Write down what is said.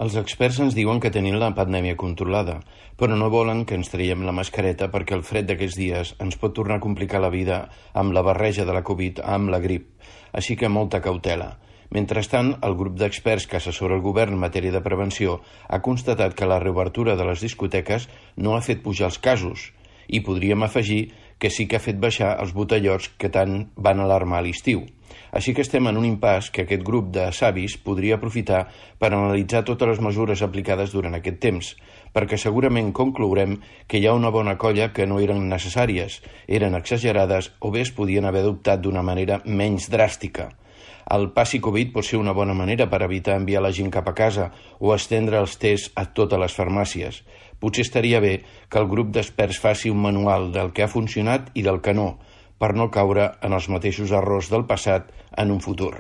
Els experts ens diuen que tenim la pandèmia controlada, però no volen que ens traiem la mascareta perquè el fred d'aquests dies ens pot tornar a complicar la vida amb la barreja de la Covid amb la grip, així que molta cautela. Mentrestant, el grup d'experts que assessora el govern en matèria de prevenció ha constatat que la reobertura de les discoteques no ha fet pujar els casos, i podríem afegir que sí que ha fet baixar els botellots que tant van alarmar a l'estiu. Així que estem en un impàs que aquest grup de savis podria aprofitar per analitzar totes les mesures aplicades durant aquest temps, perquè segurament conclourem que hi ha una bona colla que no eren necessàries, eren exagerades o bé es podien haver adoptat d'una manera menys dràstica. El passi Covid pot ser una bona manera per evitar enviar la gent cap a casa o estendre els tests a totes les farmàcies. Potser estaria bé que el grup d'experts faci un manual del que ha funcionat i del que no, per no caure en els mateixos errors del passat en un futur.